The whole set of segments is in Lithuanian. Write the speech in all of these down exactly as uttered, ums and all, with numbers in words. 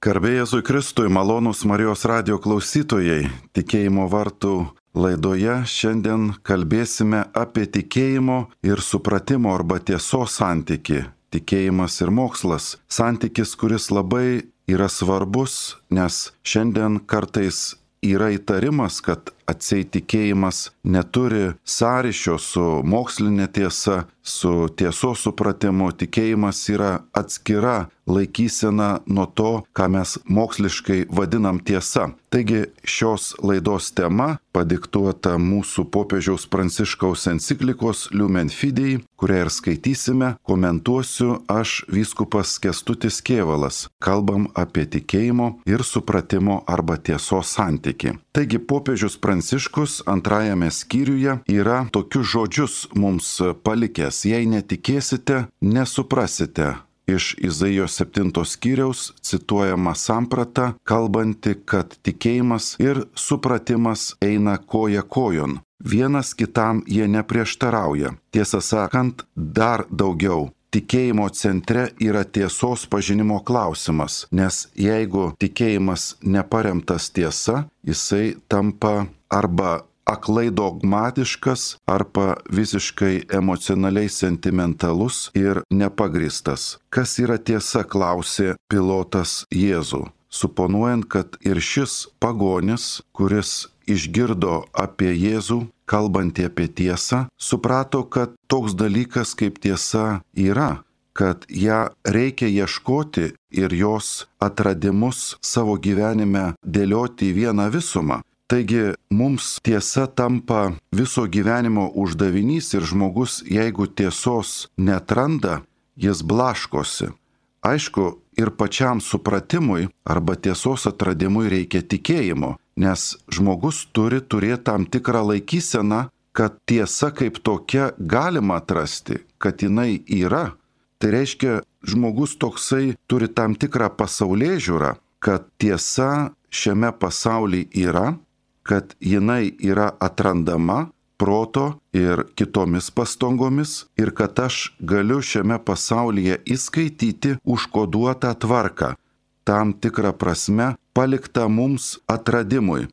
Garbė Jėzui Kristui, malonūs Marijos radijo klausytojai, tikėjimo vartų laidoje šiandien kalbėsime apie tikėjimo ir supratimo arba tiesos santyki. Tikėjimas ir mokslas. Santykis, kuris labai yra svarbus, nes šiandien kartais yra įtarimas, kad atseit tikėjimas neturi sąryšio su mokslinė tiesa, su tiesos supratimu. Tikėjimas yra atskira laikysena nuo to, ką mes moksliškai vadinam tiesa. Taigi šios laidos tema padiktuota mūsų popiežiaus Pranciškaus enciklikos Lumen Fidei, kurią ir skaitysime, komentuosiu aš vyskupas Kęstutis Kėvalas. Kalbam apie tikėjimo ir supratimo arba tiesos santyki. Taigi popiežius Pranciškus antrajame skyriuje yra tokius žodžius mums palikęs: jei netikėsite, nesuprasite. Iš Izaijos septintos skyriaus cituojama samprata, kalbanti, kad tikėjimas ir supratimas eina koja kojon. Vienas kitam jie neprieštarauja. Tiesą sakant, dar daugiau. Tikėjimo centre yra tiesos pažinimo klausimas, nes jeigu tikėjimas neparemtas tiesa, jisai tampa arba aklai dogmatiškas, arba visiškai emocionaliai sentimentalus ir nepagristas. Kas yra tiesa, klausė Pilotas Jėzų, suponuojant, kad ir šis pagonis, kuris išgirdo apie Jėzų, kalbantį apie tiesą, suprato, kad toks dalykas kaip tiesa yra, kad ją reikia ieškoti ir jos atradimus savo gyvenime dėlioti į vieną visumą. Taigi mums tiesa tampa viso gyvenimo uždavinys ir žmogus, jeigu tiesos neatranda, jis blaškosi. Aišku, ir pačiam supratimui arba tiesos atradimui reikia tikėjimo, nes žmogus turi turėti tam tikrą laikyseną, kad tiesa kaip tokia galima atrasti, kad jinai yra. Tai reiškia, žmogus toksai turi tam tikrą pasaulėžiūrą, kad tiesa šiame pasaulyje yra, kad jinai yra atrandama proto ir kitomis pastangomis ir kad aš galiu šiame pasaulyje įskaityti užkoduotą tvarką, tam tikrą prasme paliktą mums atradimui.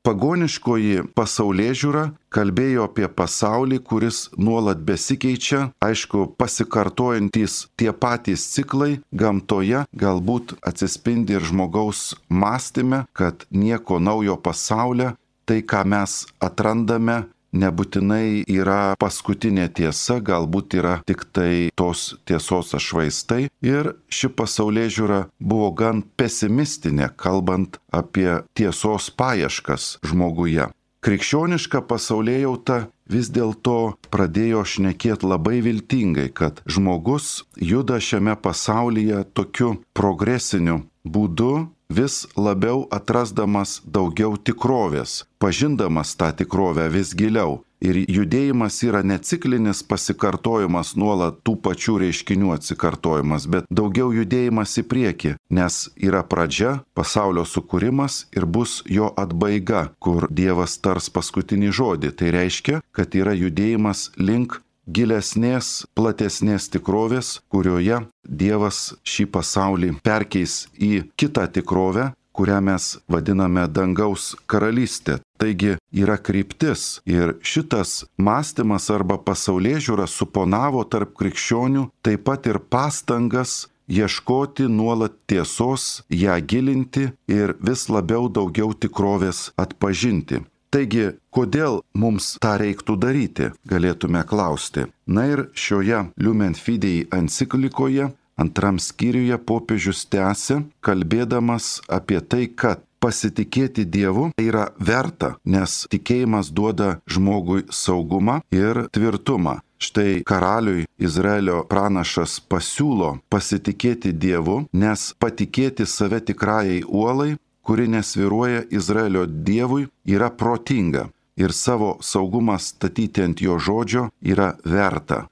Pagoniškoji pasaulėžiūra kalbėjo apie pasaulį, kuris nuolat besikeičia, aišku, pasikartojantys tie patys ciklai gamtoje, galbūt atsispindi ir žmogaus mąstyme, kad nieko naujo pasaulyje, tai ką mes atrandame, nebūtinai yra paskutinė tiesa, galbūt yra tik tai tos tiesos atšvaistai. Ir ši pasaulėžiūra buvo gan pesimistinė, kalbant apie tiesos paieškas žmoguje. Krikščioniška pasaulėjauta vis dėlto pradėjo šnekėti labai viltingai, kad žmogus juda šiame pasaulyje tokiu progresiniu būdu, vis labiau atrasdamas daugiau tikrovės, pažindamas tą tikrovę vis giliau. Ir judėjimas yra ne ciklinis pasikartojimas, nuolat tų pačių reiškinių atsikartojimas, bet daugiau judėjimas į priekį, nes yra pradžia, pasaulio sukūrimas ir bus jo atbaiga, kur Dievas tars paskutinį žodį. Tai reiškia, kad yra judėjimas link gilesnės, platesnės tikrovės, kurioje Dievas šį pasaulį perkeis į kitą tikrovę, kurią mes vadiname dangaus karalystė. Taigi yra kryptis ir šitas mąstymas arba pasaulėžiūra suponavo tarp krikščionių taip pat ir pastangas ieškoti nuolat tiesos, ją gilinti ir vis labiau daugiau tikrovės atpažinti. Taigi, kodėl mums tą reiktų daryti, galėtume klausti. Na ir šioje Lumen Fidei enciklikoje, antram skyriuje popiežius tęsia, kalbėdamas apie tai, kad pasitikėti Dievu yra verta, nes tikėjimas duoda žmogui saugumą ir tvirtumą. Štai karaliui Izraelio pranašas pasiūlo pasitikėti Dievu, nes patikėti save tikrajai uolai, kuri nesviruoja Izraelio Dievui, yra protinga ir savo saugumą statyti ant jo žodžio yra verta.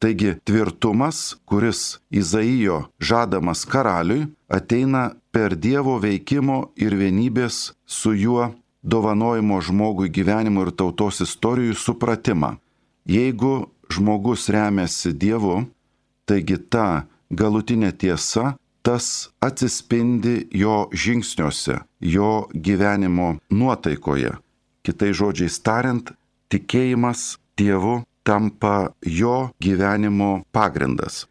Taigi tvirtumas, kuris Izaijo žadamas karaliui, ateina per Dievo veikimo ir vienybės su juo dovanojimo žmogui gyvenimo ir tautos istorijų supratimą. Jeigu žmogus remiasi Dievu, taigi ta galutinė tiesa tas atsispindi jo žingsniuose, jo gyvenimo nuotaikoje. Kitais žodžiais tariant, tikėjimas Dievu tampa jo gyvenimo pagrindas.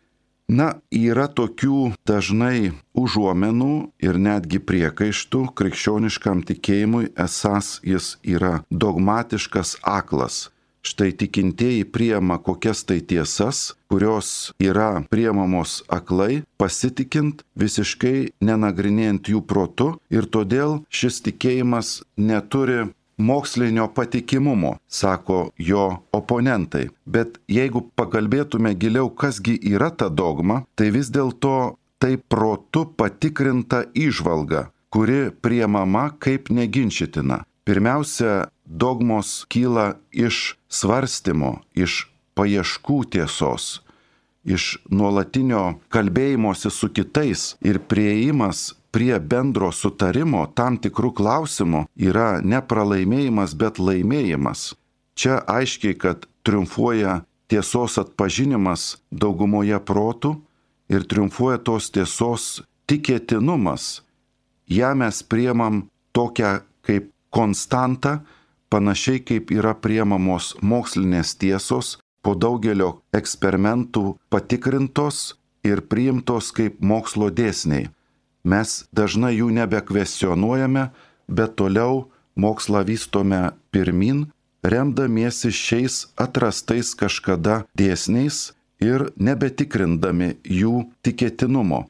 Na, yra tokių dažnai užuomenų ir netgi priekaištų krikščioniškam tikėjimui, esąs jis yra dogmatiškas, aklas. Štai tikintieji priema kokias tai tiesas, kurios yra priemamos aklai, pasitikint, visiškai nenagrinėjant jų protu, ir todėl šis tikėjimas neturi mokslinio patikimumo, sako jo oponentai. Bet jeigu pakalbėtume giliau, kasgi yra ta dogma, tai vis dėlto tai protu patikrinta įžvalga, kuri priemama kaip neginčytina. Pirmiausia, dogmos kyla iš svarstymo, iš paieškų tiesos, iš nuolatinio kalbėjimosi su kitais, ir priėjimas prie bendro sutarimo tam tikrų klausimų yra ne pralaimėjimas, bet laimėjimas. Čia aiškiai, kad triumfuoja tiesos atpažinimas daugumoje protų ir triumfuoja tos tiesos tikėtinumas. Ja mes priemam tokią kaip konstantą, panašiai kaip yra priemamos mokslinės tiesos, po daugelio eksperimentų patikrintos ir priimtos kaip mokslo dėsniai. Mes dažnai jų nebekvestionuojame, bet toliau mokslą vystome pirmin, remdamiesi šiais atrastais kažkada dėsniais ir nebetikrindami jų tikėtinumo.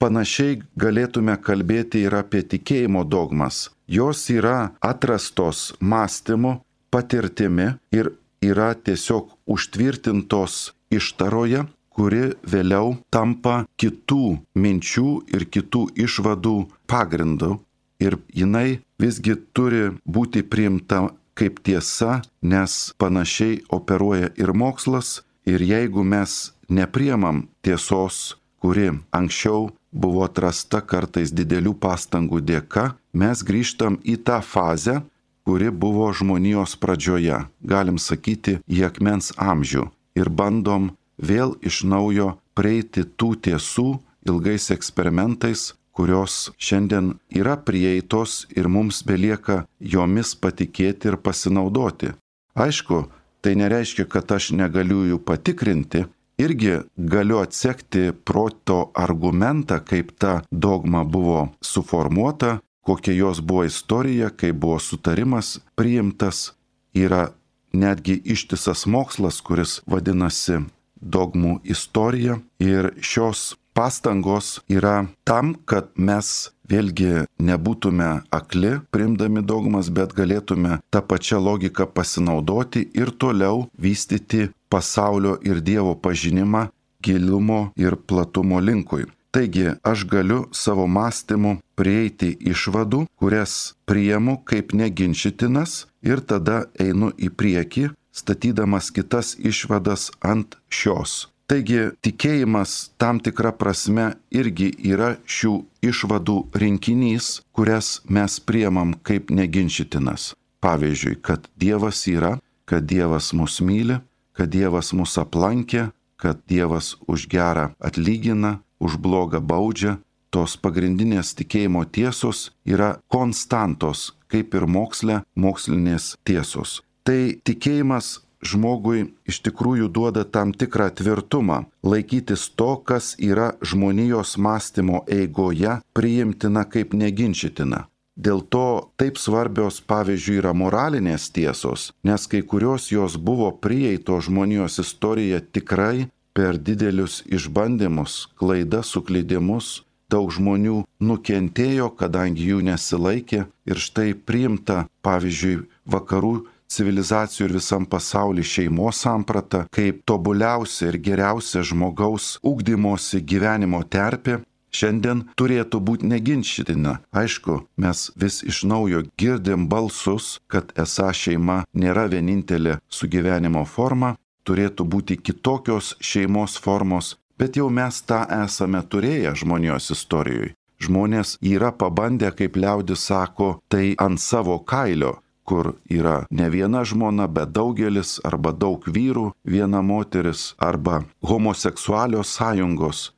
Panašiai galėtume kalbėti ir apie tikėjimo dogmas. Jos yra atrastos mąstymu, patirtimi ir yra tiesiog užtvirtintos ištaroje, kuri vėliau tampa kitų minčių ir kitų išvadų pagrindu. Ir jinai visgi turi būti priimta kaip tiesa, nes panašiai operuoja ir mokslas. Ir jeigu mes nepriemam tiesos, kuri anksčiau buvo atrasta kartais didelių pastangų dėka, mes grįžtam į tą fazę, kuri buvo žmonijos pradžioje, galim sakyti, į akmens amžių, ir bandom vėl iš naujo prieiti tų tiesų ilgais eksperimentais, kurios šiandien yra prieitos ir mums belieka jomis patikėti ir pasinaudoti. Aišku, tai nereiškia, kad aš negaliu jų patikrinti, irgi galiu atsekti proto argumentą, kaip ta dogma buvo suformuota, kokia jos buvo istorija, kaip buvo sutarimas priimtas. Yra netgi ištisas mokslas, kuris vadinasi dogmų istorija, ir šios pastangos yra tam, kad mes vėlgi nebūtume akli priimdami dogmas, bet galėtume tą pačią logiką pasinaudoti ir toliau vystyti pasaulio ir Dievo pažinimą gilumo ir platumo linkui. Taigi aš galiu savo mąstymu prieiti išvadų, kurias priimu kaip neginčytinas, ir tada einu į priekį, statydamas kitas išvadas ant šios. Taigi tikėjimas tam tikra prasme irgi yra šių išvadų rinkinys, kurias mes priimam kaip neginčytinas. Pavyzdžiui, kad Dievas yra, kad Dievas mus myli, kad Dievas mus aplankė, kad Dievas už gerą atlygina, už blogą baudžia. Tos pagrindinės tikėjimo tiesos yra konstantos, kaip ir moksle mokslinės tiesos. Tai tikėjimas žmogui iš tikrųjų duoda tam tikrą tvirtumą, laikytis to, kas yra žmonijos mąstymo eigoje priimtina kaip neginčytina. Dėl to taip svarbios, pavyzdžiui, yra moralinės tiesos, nes kai kurios jos buvo prieito žmonijos istorija tikrai per didelius išbandymus, klaidas, suklydimus. Daug žmonių nukentėjo, kadangi jų nesilaikė, ir štai priimta, pavyzdžiui, vakarų civilizacijų ir visam pasaulyje šeimos samprata kaip tobuliausia ir geriausia žmogaus ugdymosi gyvenimo terpė, šiandien turėtų būti neginčytina. Aišku, mes vis iš naujo girdim balsus, kad esą šeima nėra vienintelė sugyvenimo forma, turėtų būti kitokios šeimos formos, bet jau mes tą esame turėję žmonijos istorijoje. Žmonės yra pabandę, kaip liaudis sako, tai ant savo kailio, kur yra ne viena žmona, bet daugelis, arba daug vyrų, viena moteris, arba homoseksualios sąjungos.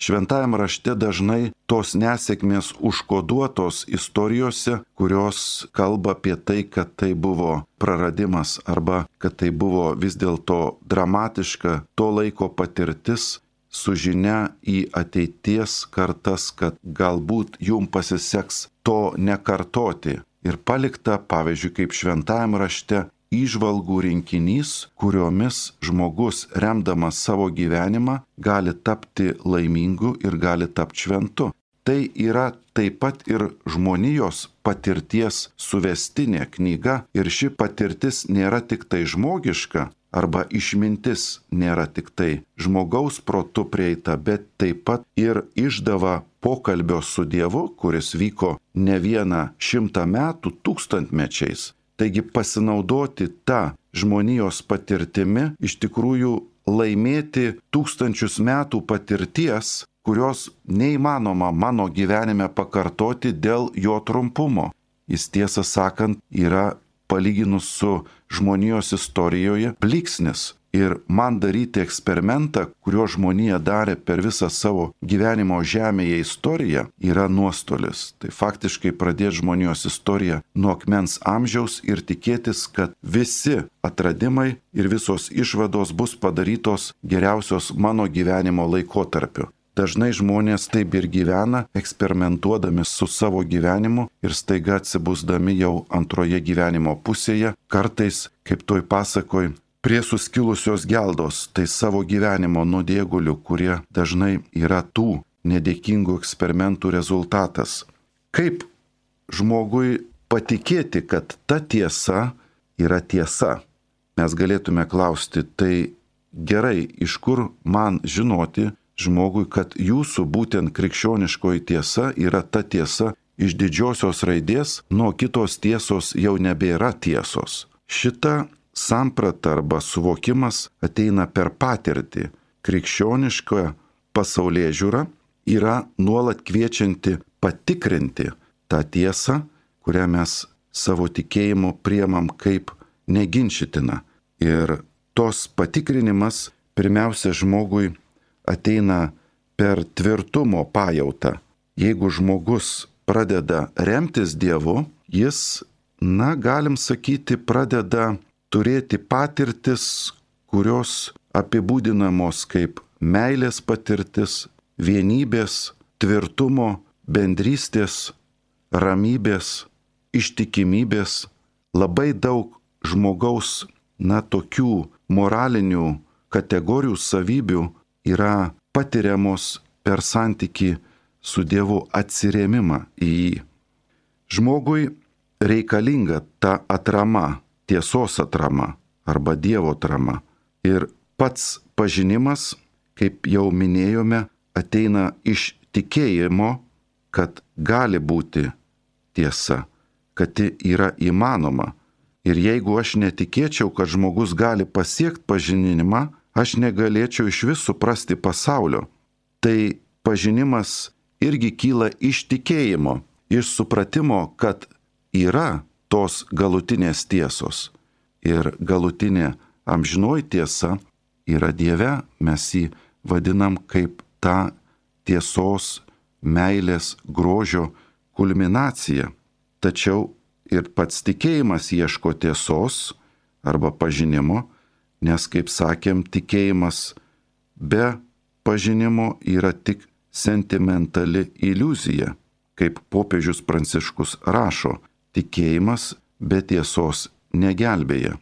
Šventajame rašte dažnai tos nesėkmės užkoduotos istorijose, kurios kalba apie tai, kad tai buvo praradimas arba kad tai buvo vis dėlto dramatiška to laiko patirtis su žinia į ateities kartas, kad galbūt jum pasiseks to nekartoti. Ir palikta, pavyzdžiui, kaip šventajame rašte, įžvalgų rinkinys, kuriomis žmogus, remdamas savo gyvenimą, gali tapti laimingu ir gali tapti šventu. Tai yra taip pat ir žmonijos patirties suvestinė knyga ir ši patirtis nėra tik tai žmogiška arba išmintis nėra tik tai žmogaus protu prieita, bet taip pat ir išdava pokalbio su Dievu, kuris vyko ne vieną šimtą metų tūkstantmečiais. Taigi pasinaudoti tą žmonijos patirtimi, iš tikrųjų laimėti tūkstančius metų patirties, kurios neįmanoma mano gyvenime pakartoti dėl jo trumpumo. Jis, tiesą sakant, yra palyginus su žmonijos istorijoje blyksnis. Ir man daryti eksperimentą, kurio žmonija darė per visą savo gyvenimo žemėje istoriją, yra nuostolis. Tai faktiškai pradėti žmonijos istoriją nuo akmens amžiaus ir tikėtis, kad visi atradimai ir visos išvados bus padarytos geriausios mano gyvenimo laikotarpiu. Dažnai žmonės taip ir gyvena, eksperimentuodami su savo gyvenimu ir staiga atsibusdami jau antroje gyvenimo pusėje, kartais, kaip toj pasakoj, prie suskilusios geldos, tai savo gyvenimo nuodėgulių, kurie dažnai yra tų nedėkingų eksperimentų rezultatas. Kaip žmogui patikėti, kad ta tiesa yra tiesa? Mes galėtume klausti, tai gerai, iš kur man žinoti žmogui, kad jūsų būtent krikščioniškoji tiesa yra ta tiesa iš didžiosios raidės, nuo kitos tiesos jau nebėra tiesos. Šita samprata arba suvokimas ateina per patirtį. Krikščioniška pasaulėžiūra yra nuolat kviečianti patikrinti tą tiesą, kurią mes savo tikėjimu priemam kaip neginčytiną. Ir tos patikrinimas pirmiausia žmogui ateina per tvirtumo pajautą. Jeigu žmogus pradeda remtis Dievu, jis, na, galim sakyti, pradeda turėti patirtis, kurios apibūdinamos kaip meilės patirtis, vienybės, tvirtumo, bendrystės, ramybės, ištikimybės. Labai daug žmogaus, na, tokių moralinių kategorijų savybių yra patiriamos per santykį su Dievu, atsirėmimą į jį. Žmogui reikalinga ta atrama, tiesos atrama arba Dievo atrama. Ir pats pažinimas, kaip jau minėjome, ateina iš tikėjimo, kad gali būti tiesa, kad ji yra įmanoma. Ir jeigu aš netikėčiau, kad žmogus gali pasiekti pažinimą, aš negalėčiau iš vis suprasti pasaulio. Tai pažinimas irgi kyla iš tikėjimo, iš supratimo, kad yra tos galutinės tiesos. Ir galutinė amžinoji tiesa yra Dieve, mes jį vadinam kaip tą tiesos, meilės, grožio kulminaciją. Tačiau ir pats tikėjimas ieško tiesos arba pažinimo, nes, kaip sakėm, tikėjimas be pažinimo yra tik sentimentali iliuzija. Kaip popiežius Pranciškus rašo, tikėjimas be tiesos negelbėja,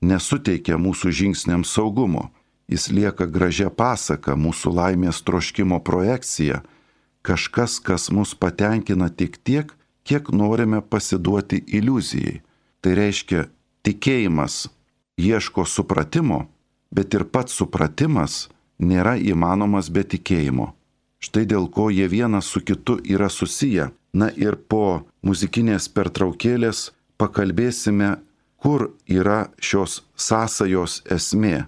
nesuteikia mūsų žingsniams saugumo. Jis lieka gražia pasaka, mūsų laimės troškimo projekcija, kažkas, kas mus patenkina tik tiek, kiek norime pasiduoti iliuzijai. Tai reiškia, tikėjimas ieško supratimo, bet ir pats supratimas nėra įmanomas be tikėjimo. Štai dėl ko jie vienas su kitu yra susiję. Na ir po muzikinės pertraukėlės pakalbėsime, kur yra šios sąsajos esmė,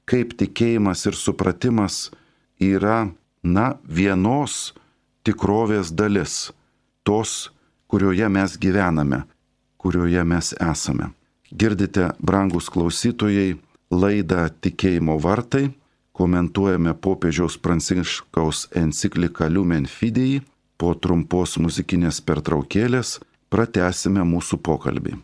kaip tikėjimas ir supratimas yra, na, vienos tikrovės dalis, tos, kurioje mes gyvename, kurioje mes esame. Girdite, brangus klausytojai, laidą Tikėjimo vartai, komentuojame popiežiaus Pranciškaus encikliką Lumen Fidei. Po trumpos muzikinės pertraukėlės pratęsime mūsų pokalbį.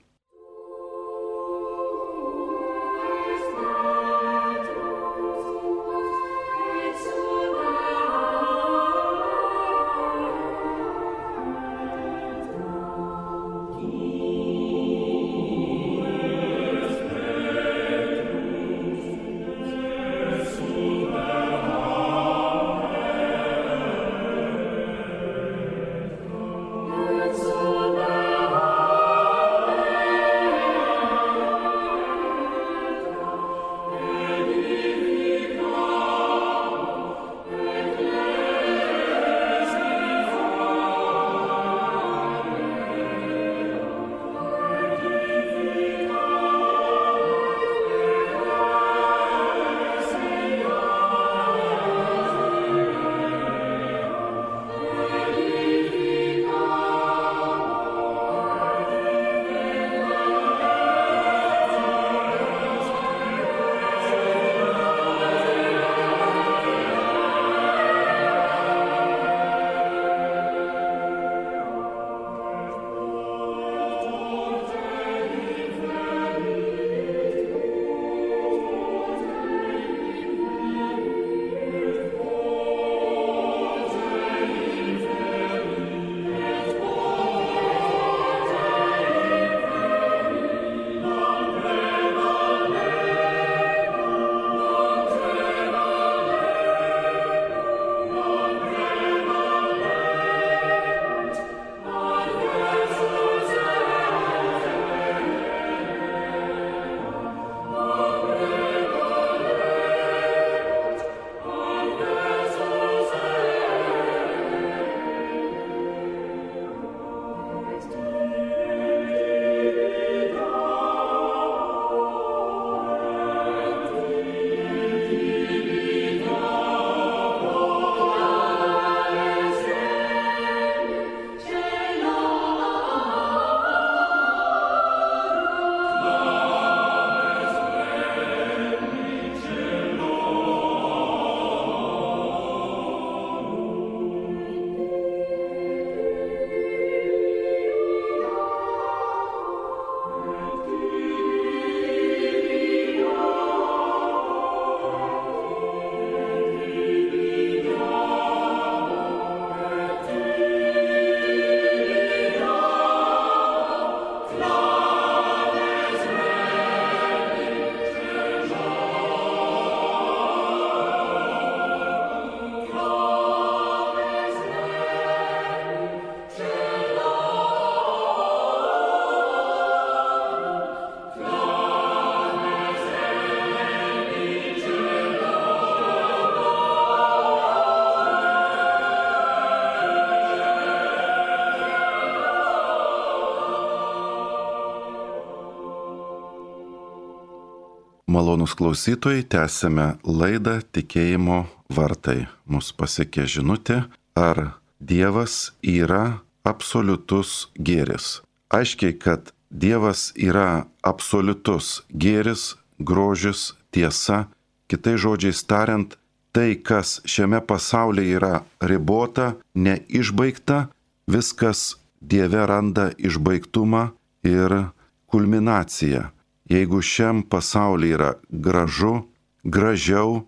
Malonūs klausytojai, tęsime laidą Tikėjimo vartai. Mus pasiekė žinutė, ar Dievas yra absoliutus gėris. Aiškiai, kad Dievas yra absoliutus gėris, grožis, tiesa. Kitais žodžiais tariant, tai, kas šiame pasaulyje yra ribota, neišbaigta, viskas Dieve randa išbaigtumą ir kulminaciją. Jeigu šiam pasaulyje yra gražu, gražiau,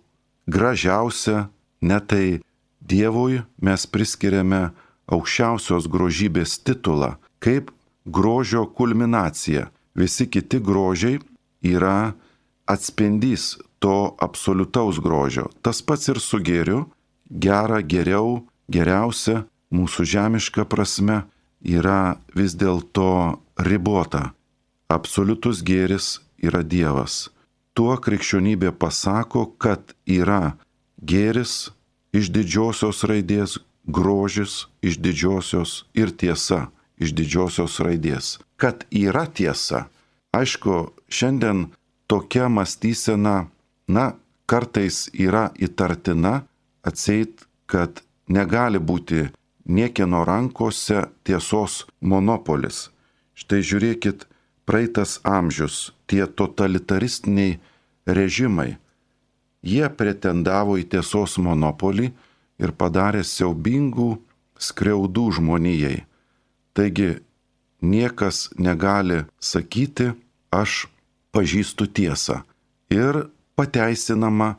gražiausia, ne tai Dievui mes priskiriame aukščiausios grožybės titulą, kaip grožio kulminacija. Visi kiti grožiai yra atspindys to absoliutaus grožio. Tas pats ir su gėriu, gera, geriau, geriausia, mūsų žemiška prasme yra vis dėlto ribota. Absoliutus gėris yra Dievas. Tuo krikščionybė pasako, kad yra gėris iš didžiosios raidės, grožis iš didžiosios ir tiesa iš didžiosios raidės. Kad yra tiesa. Aišku, šiandien tokia mąstysena, na, kartais yra įtartina, atseit, kad negali būti niekieno rankose tiesos monopolis. Štai žiūrėkit, praeitas amžius, tie totalitaristiniai režimai, jie pretendavo į tiesos monopolį ir padarė siaubingų skriaudų žmonijai. Taigi niekas negali sakyti, aš pažįstu tiesą. Ir pateisinama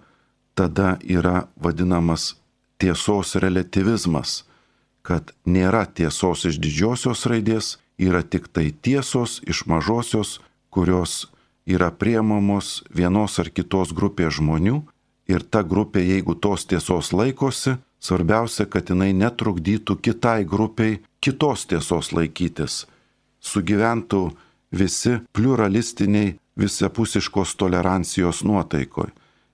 tada yra vadinamas tiesos relativizmas, kad nėra tiesos iš didžiosios raidės, yra tik tai tiesos iš mažosios, kurios yra priemamos vienos ar kitos grupės žmonių, ir ta grupė, jeigu tos tiesos laikosi, svarbiausia, kad jinai netrukdytų kitai grupiai kitos tiesos laikytis. Sugyventų visi pluralistiniai visapusiškos tolerancijos nuotaikoj.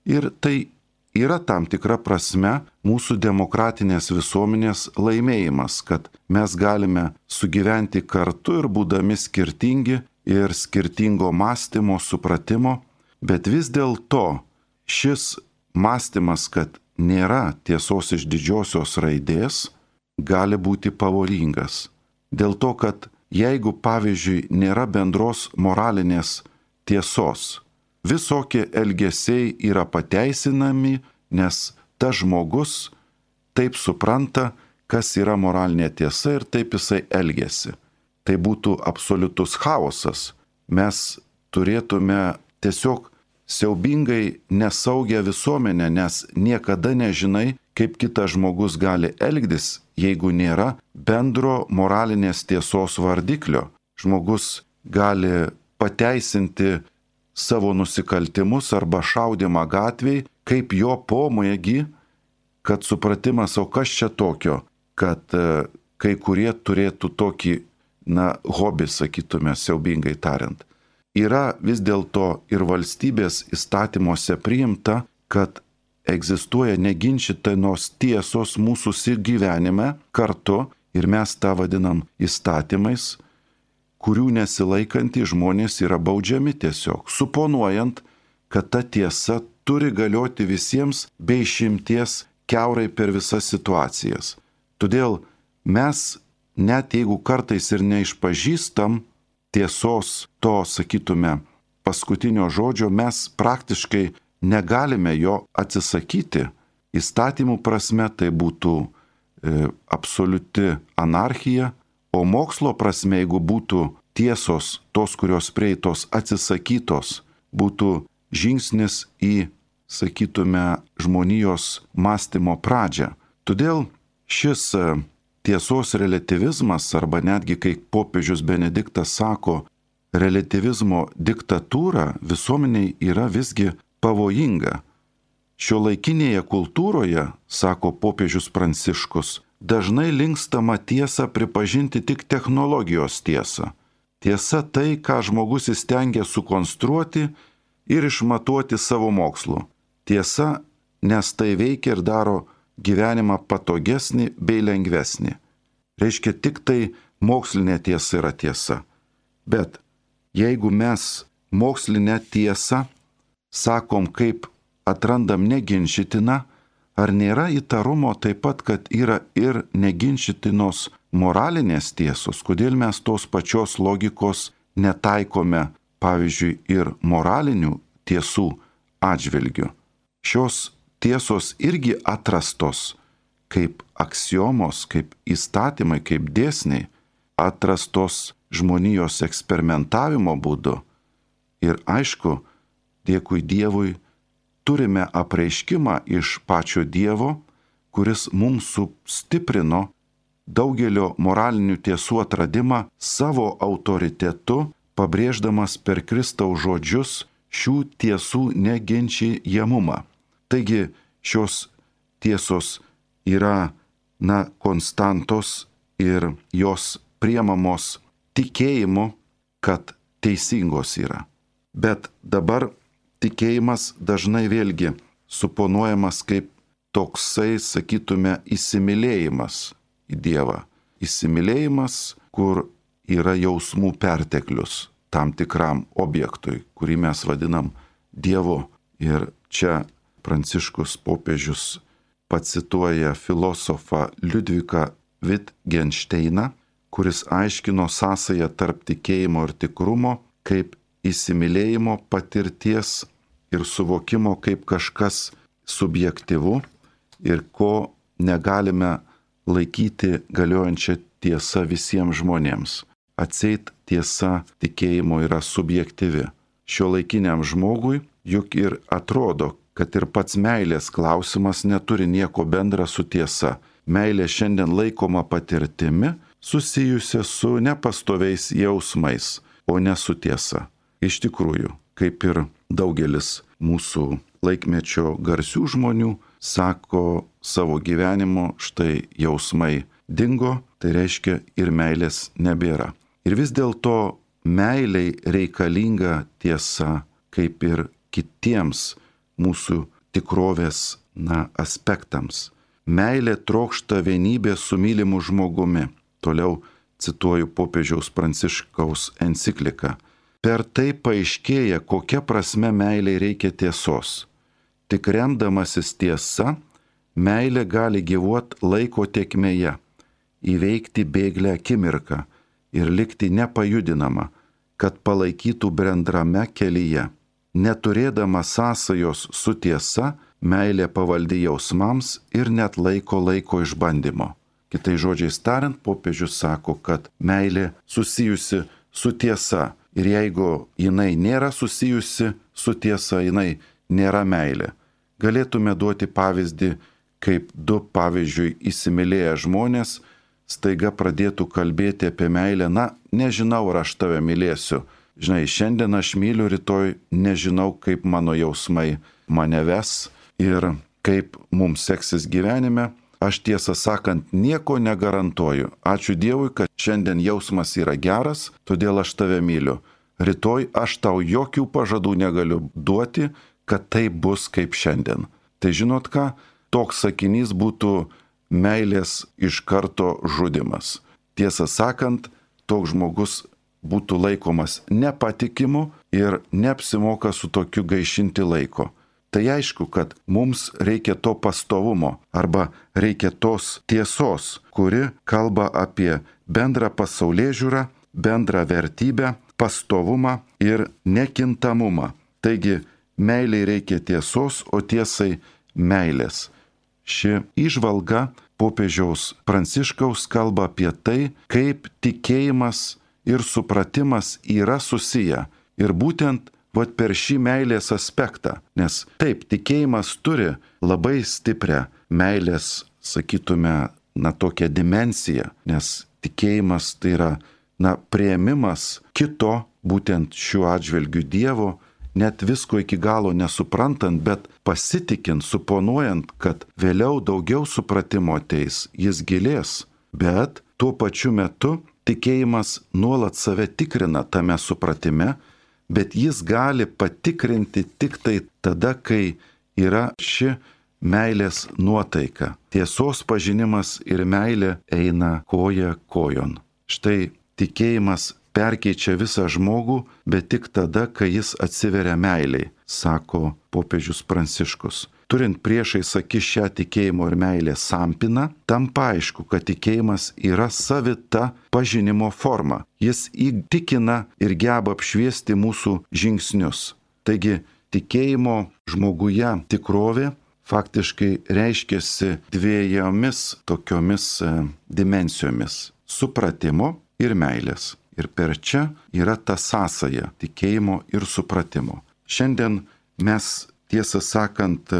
Ir tai yra tam tikra prasme mūsų demokratinės visuomenės laimėjimas, kad mes galime sugyventi kartu ir būdami skirtingi ir skirtingo mąstymo, supratimo, bet vis dėlto šis mąstymas, kad nėra tiesos iš didžiosios raidės, gali būti pavojingas. Dėl to, kad jeigu, pavyzdžiui, nėra bendros moralinės tiesos, visokie elgesiai yra pateisinami, nes tas žmogus taip supranta, kas yra moralinė tiesa ir taip jisai elgiasi. Tai būtų absoliutus chaosas. Mes turėtume tiesiog siaubingai nesaugią visuomenę, nes niekada nežinai, kaip kitas žmogus gali elgtis, jeigu nėra bendro moralinės tiesos vardiklio. Žmogus gali pateisinti savo nusikaltimus arba šaudimą gatvėj, kaip jo pomėgį, kad supratimas, o kas čia tokio, kad e, kai kurie turėtų tokį, na, hobį, sakytume, siaubingai tariant. Yra vis dėlto ir valstybės įstatymuose priimta, kad egzistuoja neginčytinos tiesos mūsų gyvenime kartu ir mes tą vadinam įstatymais, kurių nesilaikantys žmonės yra baudžiami tiesiog, suponuojant, kad ta tiesa turi galioti visiems be išimties kiaurai per visas situacijas. Todėl mes, net jeigu kartais ir neišpažįstam tiesos to, sakytume, paskutinio žodžio, mes praktiškai negalime jo atsisakyti. Įstatymų prasme tai būtų e, absoliuti anarchija, o mokslo prasme, jeigu būtų tiesos, tos, kurios prieitos atsisakytos, būtų žingsnis į, sakytume, žmonijos mąstymo pradžią. Todėl šis tiesos relativizmas, arba netgi, kai popiežius Benediktas sako, relativizmo diktatūra visuomeniai yra visgi pavojinga. Šiuolaikinėje kultūroje, sako popiežius Pranciškus, dažnai linkstama tiesą pripažinti tik technologijos tiesą. Tiesa tai, ką žmogus įstengia sukonstruoti ir išmatuoti savo mokslu. Tiesa, nes tai veikia ir daro gyvenimą patogesnį bei lengvesnį. Reiškia, tik tai mokslinė tiesa yra tiesa. Bet jeigu mes mokslinę tiesą sakom, kaip atrandam neginčytiną, ar nėra įtarumo taip pat, kad yra ir neginčytinos moralinės tiesos, kodėl mes tos pačios logikos netaikome, pavyzdžiui, ir moralinių tiesų atžvilgių. Šios tiesos irgi atrastos kaip aksiomos, kaip įstatymai, kaip dėsniai, atrastos žmonijos eksperimentavimo būdu. Ir aišku, dėkui Dievui, turime apreiškimą iš pačio Dievo, kuris mums sustiprino daugelio moralinių tiesų atradimą savo autoritetu, pabrėždamas per Kristaus žodžius šių tiesų neginčijamumą. Taigi šios tiesos yra, na, konstantos ir jos priemamos tikėjimu, kad teisingos yra. Bet dabar tikėjimas dažnai vėlgi suponuojamas kaip toksai, sakytume, įsimylėjimas į Dievą. Įsimylėjimas, kur yra jausmų perteklius tam tikram objektui, kurį mes vadinam Dievu. Ir čia Pranciškus popiežius pacituoja filosofą Liudviką Wittgensteiną, kuris aiškino sąsają tarp tikėjimo ir tikrumo kaip įsimylėjimo patirties ir suvokimo kaip kažkas subjektyvu ir ko negalime laikyti galiojančią tiesą visiems žmonėms. Atseit tiesa tikėjimo yra subjektyvi. Šiuolaikiniam žmogui juk ir atrodo, kad ir pats meilės klausimas neturi nieko bendra su tiesa. Meilė šiandien laikoma patirtimi, susijusia su nepastoviais jausmais, o ne su tiesa. Iš tikrųjų, kaip ir daugelis mūsų laikmečio garsių žmonių sako savo gyvenimo, štai jausmai dingo, tai reiškia ir meilės nebėra. Ir vis dėlto meiliai reikalinga tiesa, kaip ir kitiems mūsų tikrovės na, aspektams. Meilė trokšta vienybė su mylimu žmogumi. Toliau cituoju popiežiaus Pranciškaus encikliką. Per tai paaiškėja, kokia prasme meiliai reikia tiesos. Tik remdamasis tiesa, meilė gali gyvuoti laiko tėkmėje, įveikti bėglę akimirką ir likti nepajudinama, kad palaikytų bendrame kelyje. Neturėdama sąsajos su tiesa, meilė pavaldi jausmams ir net laiko laiko išbandymo. Kitais žodžiais tariant, popiežius sako, kad meilė susijusi su tiesa. Ir jeigu jinai nėra susijusi su tiesa, jinai nėra meilė. Galėtume duoti pavyzdį, kaip du, pavyzdžiui, įsimylėję žmonės staiga pradėtų kalbėti apie meilę. Na, nežinau, ar aš tave mylėsiu. Žinai, šiandien aš myliu, rytoj nežinau, kaip mano jausmai mane ves ir kaip mums seksis gyvenime. Aš tiesą sakant nieko negarantuoju. Ačiū Dievui, kad šiandien jausmas yra geras, todėl aš tave myliu. Rytoj aš tau jokių pažadų negaliu duoti, kad tai bus kaip šiandien. Tai žinot ką? Toks sakinys būtų meilės iš karto žudimas. Tiesą sakant, toks žmogus būtų laikomas nepatikimu ir neapsimoka su tokiu gaišinti laiko. Tai aišku, kad mums reikia to pastovumo arba reikia tos tiesos, kuri kalba apie bendrą pasaulėžiūrą, bendrą vertybę, pastovumą ir nekintamumą. Taigi, meiliai reikia tiesos, o tiesai meilės. Ši įžvalga popiežiaus Pranciškaus kalba apie tai, kaip tikėjimas ir supratimas yra susiję. Ir būtent vat per šį meilės aspektą, nes taip, tikėjimas turi labai stiprią meilės, sakytume, na tokią dimensiją, nes tikėjimas tai yra, na, priėmimas kito, būtent šiuo atžvilgiu Dievo, net visko iki galo nesuprantant, bet pasitikint, suponuojant, kad vėliau daugiau supratimo ateis, jis gilės, bet tuo pačiu metu tikėjimas nuolat save tikrina tame supratime, bet jis gali patikrinti tik tai tada, kai yra ši meilės nuotaika. Tiesos pažinimas ir meilė eina koja kojon. Štai tikėjimas perkeičia visą žmogų, bet tik tada, kai jis atsiveria meiliai, sako popiežius Pranciškus. Turint priešais akis šią tikėjimo ir meilės sampyną, tampa aišku, kad tikėjimas yra savita pažinimo forma. Jis įtikina ir geba apšviesti mūsų žingsnius. Taigi, tikėjimo žmoguje tikrovė faktiškai reiškiasi dviejomis tokiomis e, dimensijomis - supratimo ir meilės. Ir per čia yra ta sąsaja tikėjimo ir supratimo. Šiandien mes, tiesą sakant,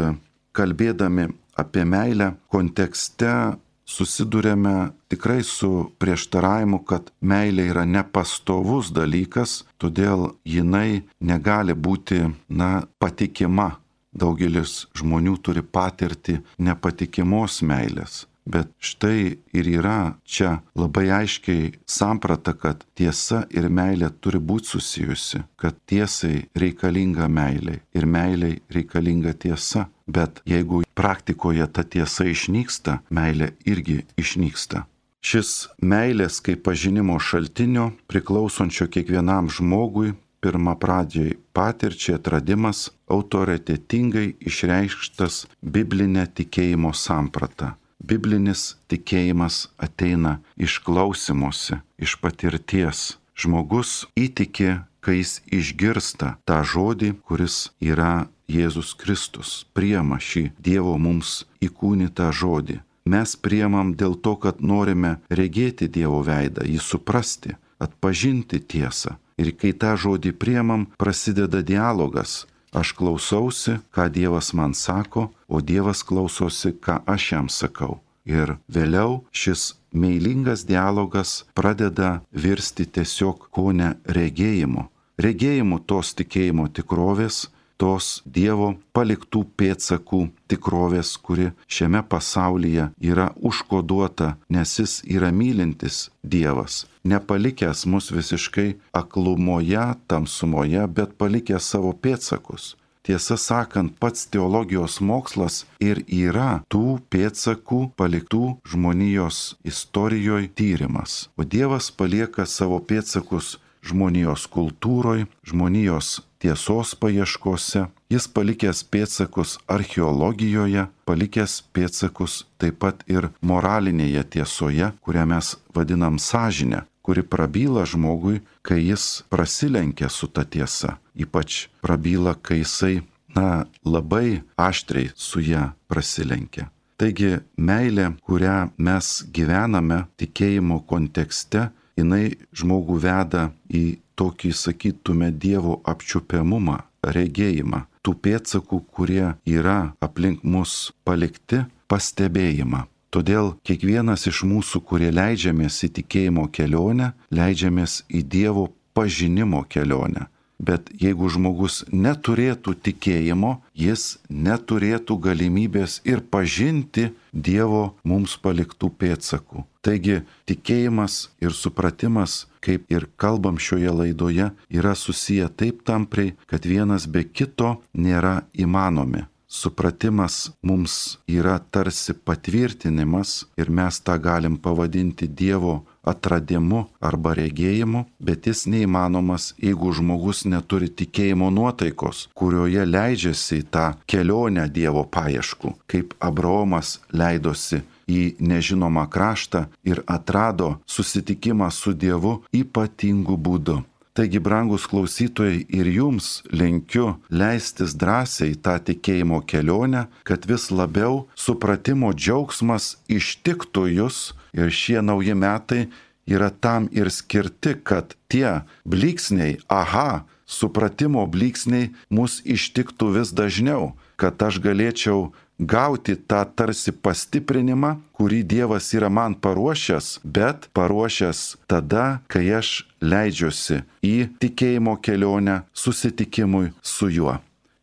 kalbėdami apie meilę kontekste susidurėme tikrai su prieštaravimu, kad meilė yra nepastovus dalykas, todėl jinai negali būti, na, patikima. Daugelis žmonių turi patirti nepatikimos meilės. Bet štai ir yra čia labai aiškiai samprata, kad tiesa ir meilė turi būti susijusi, kad tiesai reikalinga meilė ir meiliai reikalinga tiesa. Bet jeigu praktikoje ta tiesa išnyksta, meilė irgi išnyksta. Šis meilės kaip pažinimo šaltinio priklausončio kiekvienam žmogui pirmą pradžiai patirčiai atradimas autoritetingai išreikštas biblinė tikėjimo samprata. Biblinis tikėjimas ateina iš klausymosi, iš patirties. Žmogus įtiki, kai jis išgirsta tą žodį, kuris yra Jėzus Kristus priema šį Dievo mums įkūnytą žodį. Mes priemam dėl to, kad norime regėti Dievo veidą, jį suprasti, atpažinti tiesą. Ir kai tą žodį priemam, prasideda dialogas. Aš klausausi, ką Dievas man sako, o Dievas klausosi, ką aš jam sakau. Ir vėliau šis meilingas dialogas pradeda virsti tiesiog kone regėjimu. Regėjimu tos tikėjimo tikrovės, tos Dievo paliktų pėdsakų tikrovės, kuri šiame pasaulyje yra užkoduota, nes jis yra mylintis Dievas, nepalikęs mus visiškai aklumoje, tamsumoje, bet palikęs savo pėdsakus. Tiesą sakant, pats teologijos mokslas ir yra tų pėdsakų paliktų žmonijos istorijoje tyrimas. O Dievas palieka savo pėdsakus žmonijos kultūroje, žmonijos tiesos paieškose. Jis palikęs pėdsakus archeologijoje, palikęs pėdsakus taip pat ir moralinėje tiesoje, kurią mes vadinam sąžinę, kuri prabyla žmogui, kai jis prasilenkia su ta tiesa. Ypač prabyla, kai jisai, na, labai aštriai su ją prasilenkia. Taigi meilė, kurią mes gyvename tikėjimo kontekste, jinai žmogų veda į tokį, sakytume, Dievo apčiuopiamumą, regėjimą, tų pėdsakų, kurie yra aplink mus palikti, pastebėjimą. Todėl kiekvienas iš mūsų, kurie leidžiamės į tikėjimo kelionę, leidžiamės į Dievo pažinimo kelionę. Bet jeigu žmogus neturėtų tikėjimo, jis neturėtų galimybės ir pažinti Dievo mums paliktų pėdsakų. Taigi tikėjimas ir supratimas, kaip ir kalbam šioje laidoje, yra susiję taip tampriai, kad vienas be kito nėra įmanomi. Supratimas mums yra tarsi patvirtinimas ir mes tą galim pavadinti Dievo atradimu arba regėjimu, bet jis neįmanomas, jeigu žmogus neturi tikėjimo nuotaikos, kurioje leidžiasi į tą kelionę Dievo paieškų, kaip Abraomas leidosi į nežinomą kraštą ir atrado susitikimą su Dievu ypatingu būdu. Taigi, brangus klausytojai, ir jums linkiu leistis drąsiai tą tikėjimo kelionę, kad vis labiau supratimo džiaugsmas ištiktų jūs ir šie nauji metai yra tam ir skirti, kad tie blyksniai, aha, supratimo blyksniai mus ištiktų vis dažniau, kad aš galėčiau gauti tą tarsi pastiprinimą, kurį Dievas yra man paruošęs, bet paruošęs tada, kai aš leidžiuosi į tikėjimo kelionę susitikimui su juo.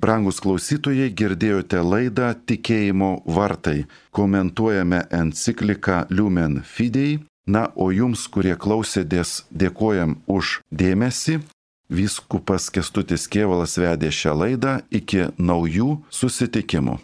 Brangus klausytojai, girdėjote laidą Tikėjimo vartai. Komentuojame encikliką Lumen Fidei. Na, o jums, kurie klausėtės, dėkojam už dėmesį. Vyskupas Kęstutis Kėvalas vedė šią laidą. Iki naujų susitikimų.